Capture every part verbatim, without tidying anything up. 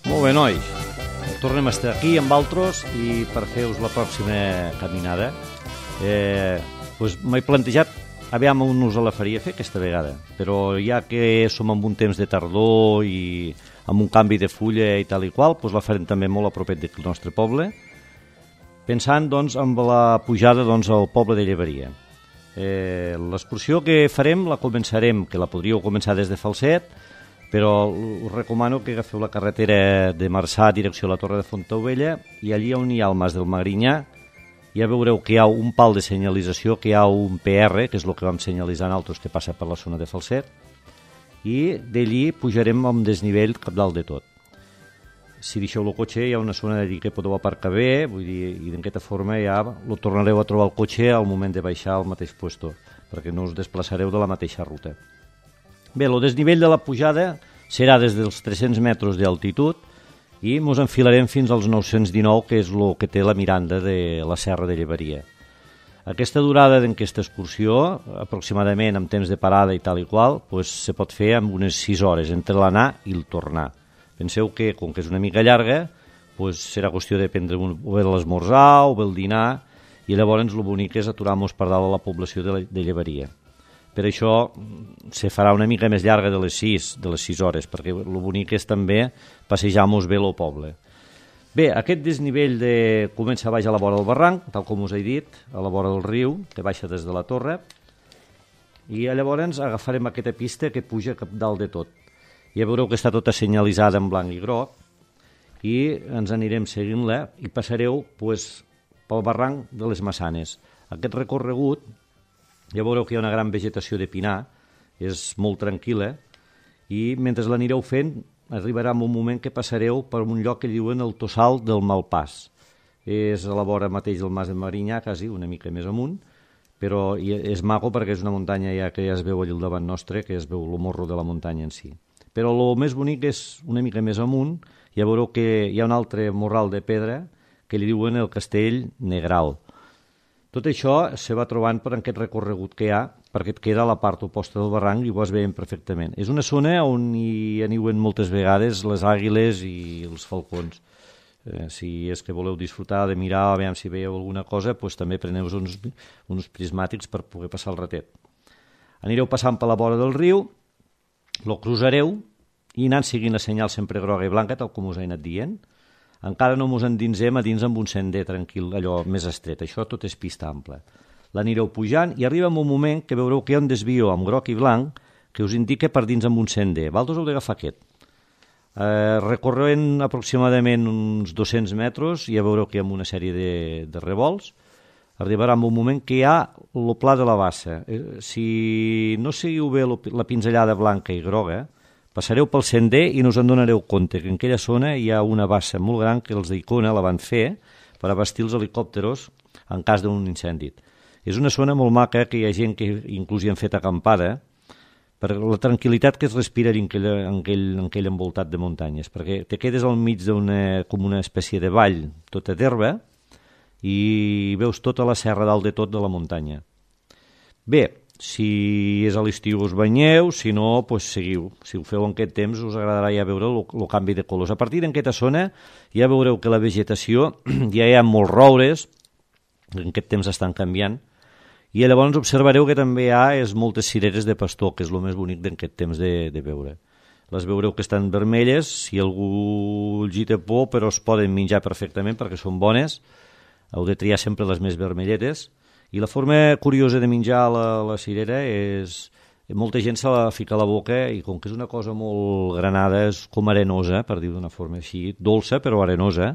Molt bé, nois. Tornem a estar aquí amb altres i per fer-vos la pròxima caminada eh, doncs m'he plantejat aviam on us la faria fer aquesta vegada, però ja que som en un temps de tardor i amb un canvi de fulla i tal i qual, doncs la farem també molt a propet del nostre poble, pensant doncs amb la pujada doncs, al poble de Llevaria. Eh, l'excursió que farem la començarem, que la podríeu començar des de Falset, però us recomano que agafeu la carretera de Marçà direcció a la Torre de Fontaubella i allí on hi ha el Mas del Magrinyà ja veureu que hi ha un pal de senyalització, que hi ha un P R, que és el que vam senyalitzar nosaltres que passa per la zona de Falset, i d'allí pujarem amb desnivell cap dalt de tot. Si deixeu el cotxe hi ha una zona d'allí que podeu aparcar bé, vull dir, i d'aquesta forma ja lo tornareu a trobar el cotxe al moment de baixar al mateix puesto, perquè no us desplaçareu de la mateixa ruta. Bé, el desnivell de la pujada serà des dels tres-cents metres d'altitud i ens enfilarem fins als nou-cents dinou, que és el que té la miranda de la Serra de Llevaria. Aquesta durada d'aquesta excursió, aproximadament amb temps de parada i tal i qual, pues, se pot fer amb unes sis hores entre l'anar i el tornar. Penseu que, com que és una mica llarga, pues, serà qüestió de prendre un, o bé l'esmorzar o bé el dinar, i llavors el bonic és aturar-nos per dalt a la població de, la, de Llevaria. Per això se farà una mica més llarga de les sis, de les sis hores, perquè el bonic és també passejar-nos bé al poble. Bé, aquest desnivell de... comença a baix a la vora del barranc, tal com us he dit, a la vora del riu, que baixa des de la torre, i llavors agafarem aquesta pista que puja cap dalt de tot. Ja veureu que està tota senyalitzada en blanc i groc, i ens anirem seguint-la i passareu pues, pel barranc de les Massanes. Aquest recorregut ja veureu que hi ha una gran vegetació de pinar, és molt tranquil·la, i mentre l'anireu fent arribarà un moment que passareu per un lloc que diuen el Tossal del Malpàs. És a la vora mateix del Mas de Marinyà, quasi una mica més amunt, però és maco perquè és una muntanya ja que ja es veu allà al davant nostre, que es veu el morro de la muntanya en si. Però el més bonic és una mica més amunt, ja veureu que hi ha un altre morral de pedra que li diuen el Castell Negral. Tot això se va trobant per aquest recorregut que hi ha, perquè et queda a la part oposta del barranc i ho es veiem perfectament. És una zona on hi aniuen moltes vegades les àguiles i els falcons. Eh, si és que voleu disfrutar de mirar, a veure si veieu alguna cosa, doncs també preneu uns, uns prismàtics per poder passar el ratet. Anireu passant per la vora del riu, lo cruzareu i anant seguint la senyal sempre groga i blanca, tal com us he anat dient. Encara no ens endinsem a dins amb un sender tranquil, allò més estret. Això tot és pista ampla. L'anireu pujant i arriba un moment que veureu que hi ha un desvio amb groc i blanc que us indica per dins amb un sender. Vosaltres heu d'agafar aquest. Eh, recorrent aproximadament uns dos-cents metres, ja veureu que hi ha una sèrie de, de revolts. Arribarà un moment que hi ha el pla de la bassa. Eh, si no seguiu bé la pinzellada blanca i groga, passareu pel sender i no us en donareu compte que en aquella zona hi ha una bassa molt gran que els d'Icona la van fer per abastir els helicòpteros en cas d'un incendi. És una zona molt maca que hi ha gent que inclús hi han fet acampada per la tranquil·litat que es respira en aquell, en aquell, en aquell envoltat de muntanyes, perquè te quedes al mig d'una com una espècie de vall tota d'herba i veus tota la serra dalt de tot de la muntanya. Bé, si és a l'estiu us banyeu, si no, doncs seguiu. Si ho feu en aquest temps us agradarà ja veure el canvi de colors. A partir d'aquesta zona ja veureu que la vegetació, ja hi ha molts roures, en aquest temps estan canviant, i llavors observareu que també hi ha és moltes cireres de pastor, que és el més bonic d'aquest temps de, de veure. Les veureu que estan vermelles, si algú els hi té por, però es poden menjar perfectament perquè són bones, heu de triar sempre les més vermelletes. I la forma curiosa de menjar la, la cirera és... Molta gent se la fica a la boca i com que és una cosa molt granada, és com arenosa, per dir d'una forma així, dolça però arenosa,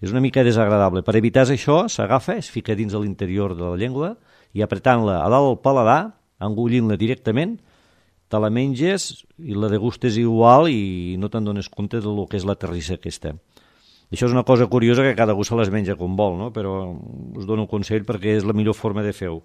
és una mica desagradable. Per evitar això, s'agafa, es fica dins de l'interior de la llengua i apretant-la a dalt del paladar, engollint-la directament, te la menges i la degustes igual i no te'n dones compte del que és la terrissa aquesta. Això és una cosa curiosa que cada algú se les menja com vol, no? Però us dono un consell perquè és la millor forma de fer-ho.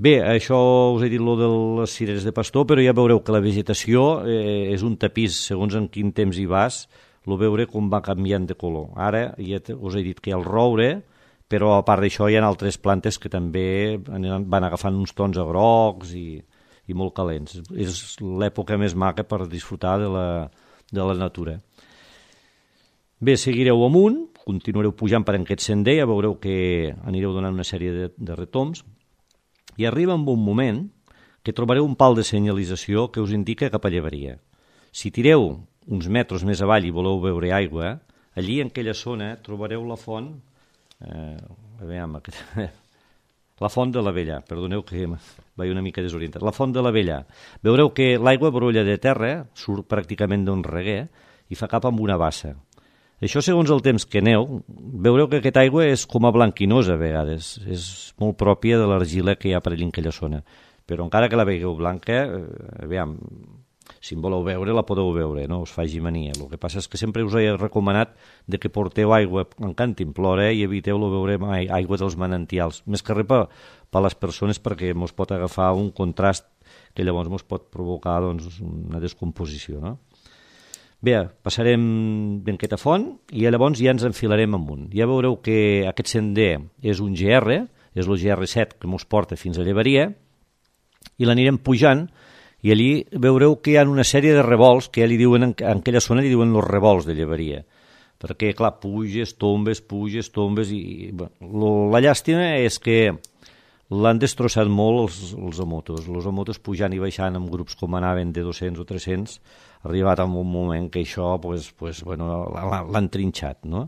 Bé, això us he dit lo de les cireres de pastor, però ja veureu que la vegetació eh, és un tapís, segons en quin temps hi vas, lo veure com va canviant de color. Ara ja us he dit que hi ha el roure, però a part d'això hi ha altres plantes que també van agafant uns tons a grocs i, i molt calents. És l'època més maca per disfrutar de la, de la natura. Bé, seguireu amunt, continuareu pujant per aquest sender, ja veureu que anireu donant una sèrie de, de retoms, i arriba en un moment que trobareu un pal de senyalització que us indica cap a Llevaria. Si tireu uns metres més avall i voleu veure aigua, allí en aquella zona trobareu la font, eh, a veure, la font de la Vella, perdoneu que vaig una mica desorientat, la font de la Vella. Veureu que l'aigua brolla de terra, surt pràcticament d'un reguer i fa cap amb una bassa. Això, segons el temps que aneu, veureu que aquesta aigua és com a blanquinosa a vegades, és molt pròpia de l'argila que hi ha per allà en aquella zona. Però encara que la veieu blanca, eh, aviam, si en voleu veure, la podeu veure, no us faci mania. El que passa és que sempre us he recomanat de que porteu aigua en cantimplora i eviteu lo veure aigua dels manantials. Més que res per, per les persones perquè mos pot agafar un contrast que llavors mos pot provocar doncs, una descomposició, no? Bé, passarem d'enquesta font i llavors ja ens enfilarem amunt. Ja veureu que aquest sender és un G R, és el G R set que ens porta fins a Llevaria, i l'anirem pujant, i allí veureu que hi ha una sèrie de revolts que ja li diuen, en aquella zona li diuen els revolts de Llevaria, perquè, clar, puges, tombes, puges, tombes, i bueno, la llàstima és que l'han destrossat molt els, els amotos. Els amotos pujant i baixant en grups com anaven de dos-cents o tres-cents, ha arribat en un moment que això pues, pues, bueno, l'han trinxat, no?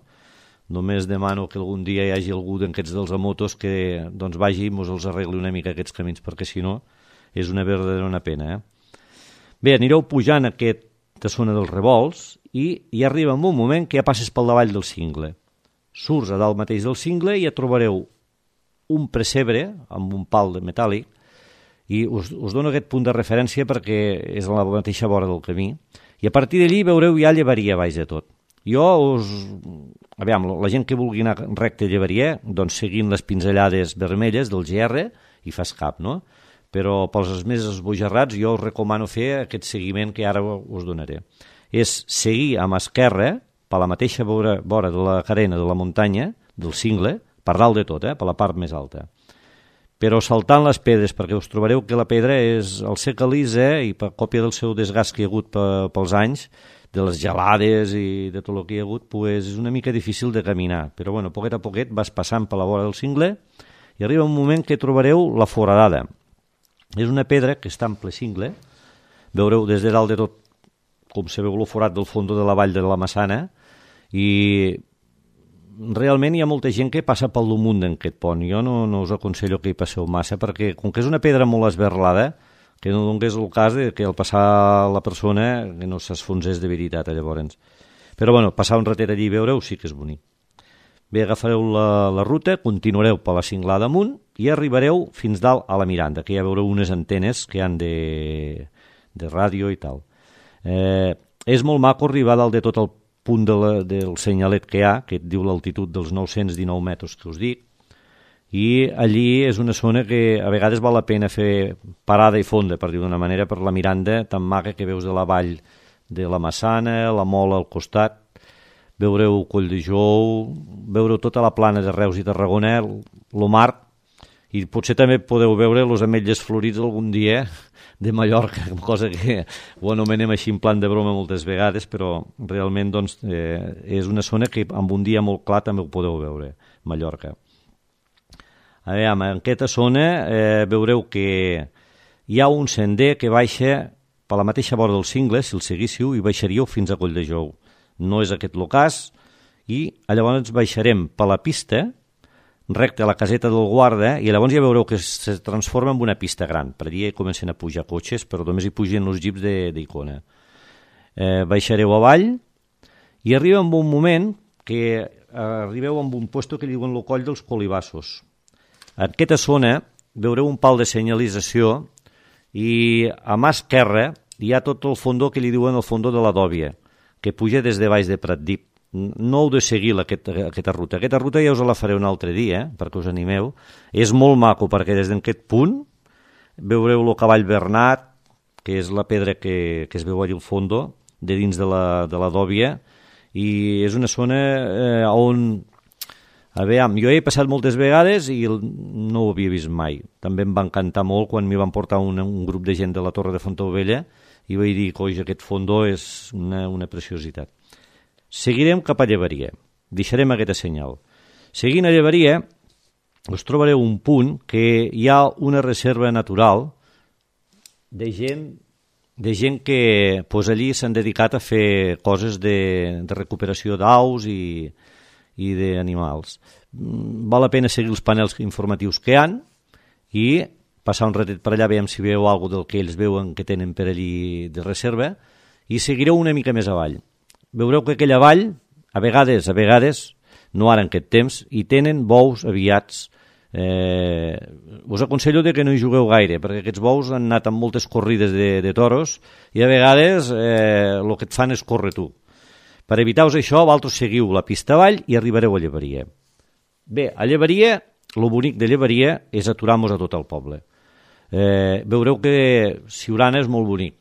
Només demano que algun dia hi hagi algú d'aquests dels amotos que doncs, vagi i mos els arregli una mica aquests camins, perquè si no és una verdadera una pena. Eh? Bé, anireu pujant aquesta zona dels revolts i hi arriba un moment que ja passes pel davall del cingle. Surts a dalt mateix del cingle i ja trobareu un pessebre amb un pal de metàl·lic, i us, us dono aquest punt de referència perquè és a la mateixa vora del camí, i a partir d'allí veureu ja Llevaria baix de tot. Jo us... Aviam, la gent que vulgui anar recte a Llevaria, doncs seguint les pinzellades vermelles del G R, i fas cap, no? Però pels més esbojarrats jo us recomano fer aquest seguiment que ara us donaré. És seguir amb esquerra, per la mateixa vora, vora de la carena de la muntanya, del cingle, per dalt de tot, eh, per la part més alta. Però saltant les pedres, perquè us trobareu que la pedra és el seca lisa i per còpia del seu desgast que hi ha hagut pels anys, de les gelades i de tot el que hi ha hagut, pues és una mica difícil de caminar. Però bueno, poquet a poquet vas passant per la vora del cingle i arriba un moment que trobareu la foradada. És una pedra que està en ple cingle, veureu des de dalt de tot com se veu el forat del fons de la vall de la Massana, i realment hi ha molta gent que passa pel damunt d'aquest pont. Jo no, no us aconsello que hi passeu massa, perquè com que és una pedra molt esberlada, que no donés el cas de que al passar la persona que no s'esfonsés de veritat, llavors. Però bueno, passar un ratet allí i veureu sí que és bonic. Bé, agafareu la, la ruta, continuareu per la cinglada amunt i arribareu fins dalt a la Miranda, que ja veureu unes antenes que han de, de ràdio i tal. Eh, és molt maco arribar dalt de tot el punt de la, del senyalet que hi ha, que et diu l'altitud dels nou-cents dinou metres que us dic, i allí és una zona que a vegades val la pena fer parada i fonda, per dir d'una manera, per la Miranda tan maca que veus de la vall de la Massana, la Mola al costat, veureu Coll de Jou, veureu tota la plana de Reus i Tarragona, el mar, i potser també podeu veure els ametlles florits algun dia de Mallorca, cosa que ho anomenem així en plan de broma moltes vegades, però realment doncs, eh, és una zona que amb un dia molt clar també ho podeu veure, Mallorca. A veure, en aquesta zona eh, veureu que hi ha un sender que baixa per la mateixa vora del cingle, si el seguíssiu, i baixaríeu fins a Coll de Jou. No és aquest el cas, i llavors baixarem per la pista, recte a la caseta del guarda, i llavors ja veureu que es transforma en una pista gran. Per allà comencen a pujar cotxes, però només hi pugen els jeeps d'Icona. Eh, baixareu avall i arriba en un moment que arribeu a un puesto que diuen el Coll dels Colibassos. En aquesta zona veureu un pal de senyalització i a mà esquerra hi ha tot el fondó que li diuen el fondó de la Dòbia, que puja des de baix de Pratdip. No heu de seguir aquest, aquesta ruta. Aquesta ruta ja us la faré un altre dia, eh, perquè us animeu. És molt maco, perquè des d'aquest punt veureu el cavall Bernat, que és la pedra que, que es veu allà al fondo, de dins de la, de la Dòbia, i és una zona eh, on... A veure, jo he passat moltes vegades i no ho havia vist mai. També em va encantar molt quan m'hi van portar un, un grup de gent de la Torre de Fontaubella i vaig dir, coi, aquest fondó és una, una preciositat. Seguirem cap a Llevaria. Deixarem aquesta senyal. Seguint a Llevaria, us trobareu un punt que hi ha una reserva natural de gent, de gent que pues, allí s'han dedicat a fer coses de, de recuperació d'aus i... i d'animals. Val la pena seguir els panels informatius que hi han i passar un ratet per allà, veiem si veu alguna del que ells veuen que tenen per allí de reserva, i seguireu una mica més avall. Veureu que aquella vall, a vegades, a vegades, no ara en aquest temps, hi tenen bous aviats. Eh, us aconsello de que no hi jugueu gaire, perquè aquests bous han anat amb moltes corrides de, de toros i a vegades eh, el que et fan és córrer tu. Per evitar-vos això, vosaltres seguiu la pista avall i arribareu a Llevaria. Bé, a Llevaria, el bonic de Llevaria és aturar-nos a tot el poble. Eh, veureu que Siurana és molt bonic.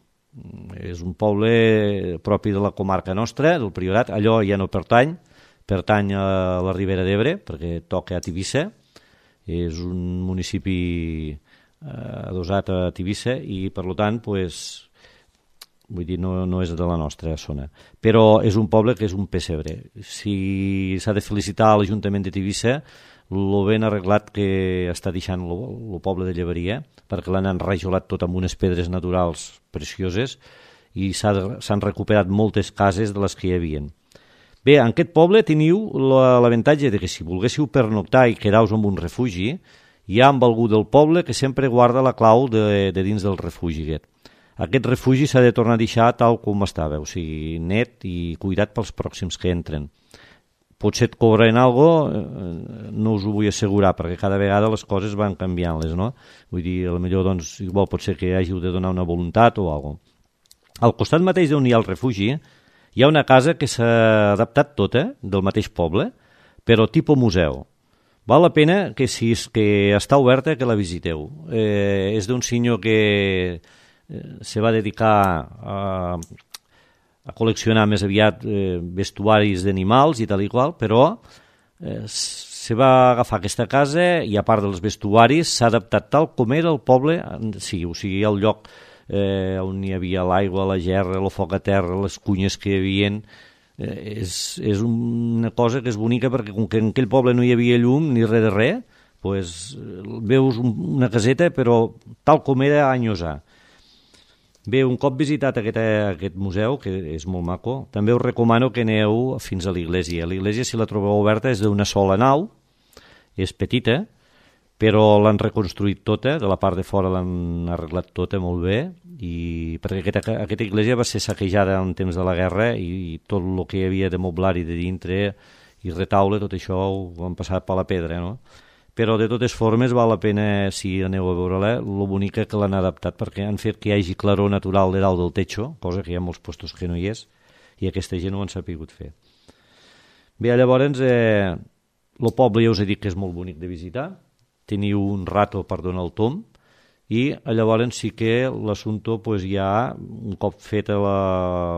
És un poble propi de la comarca nostra, del Priorat. Allò ja no pertany, pertany a la Ribera d'Ebre, perquè toca a Tivissa. És un municipi eh, adossat a Tivissa i, per tant, pues, vull dir, no, no és de la nostra zona. Però és un poble que és un pessebre. Si s'ha de felicitar a l'Ajuntament de Tivissa, el ben arreglat que està deixant el poble de Llevaria, perquè l'han enrajolat tot amb unes pedres naturals precioses i s'han recuperat moltes cases de les que hi havia. Bé, en aquest poble teniu l'avantatge de que si volguéssiu pernoctar i quedar-vos en un refugi, hi ha amb algú del poble que sempre guarda la clau de, de dins del refugi aquest. Aquest refugi s'ha de tornar a deixar tal com estava, o sigui, net i cuidat pels pròxims que entren. Potser et cobren alguna cosa, no us ho vull assegurar, perquè cada vegada les coses van canviant-les, no? Vull dir, potser doncs, igual pot ser que hàgiu de donar una voluntat o alguna cosa. Al costat mateix d'on hi ha el refugi, hi ha una casa que s'ha adaptat tota, del mateix poble, però tipus museu. Val la pena que si és que està oberta que la visiteu. Eh, és d'un senyor que se va dedicar a, a col·leccionar més aviat eh, vestuaris d'animals i tal i qual, però eh, se va agafar aquesta casa i a part dels vestuaris s'ha adaptat tal com era el poble, sí, o sigui, el lloc eh, on hi havia l'aigua, la gerra, el foc a terra, les cunyes que hi havia, eh, és, és una cosa que és bonica perquè com que en aquell poble no hi havia llum ni res de res, pues, veus una caseta però tal com era anys ha. Bé, un cop visitat aquest, aquest museu, que és molt maco, també us recomano que aneu fins a l'església. L'església, si la trobeu oberta, és d'una sola nau, és petita, però l'han reconstruït tota, de la part de fora l'han arreglat tota molt bé, i perquè aquesta, aquesta església va ser saquejada en temps de la guerra i, i tot el que hi havia de moblar-hi de dintre i retaule, tot això ho han passat per la pedra, no? Però de totes formes val la pena, si aneu a veure-la, el bonica que l'han adaptat perquè han fet que hi hagi claror natural de dalt del techo, cosa que hi ha molts postos que no hi és, i aquesta gent ho han sapigut fer. Bé, llavors, eh, el poble ja us he dit que és molt bonic de visitar, teniu un rato per donar el tom, i llavors sí que l'assumpte pues, ja, un cop feta la,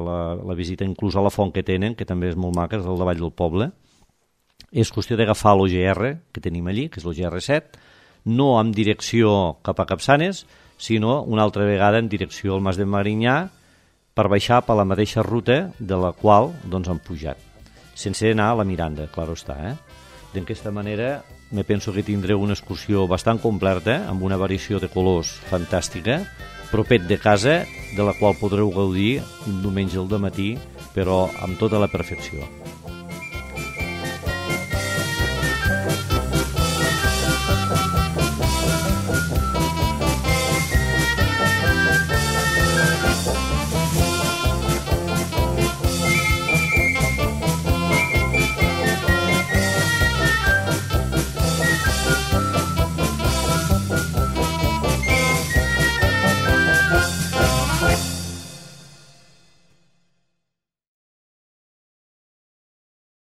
la, la visita inclús a la font que tenen, que també és molt maca, és al davall del poble, és qüestió d'agafar l'O G R que tenim allí, que és l'O G R set, no en direcció cap a Capçanes, sinó una altra vegada en direcció al Mas de Marinyà per baixar per la mateixa ruta de la qual doncs, han pujat, sense anar a la Miranda, clar està. Eh? D'aquesta manera me penso que tindreu una excursió bastant completa, amb una variació de colors fantàstica, propet de casa, de la qual podreu gaudir un diumenge al dematí, però amb tota la perfecció.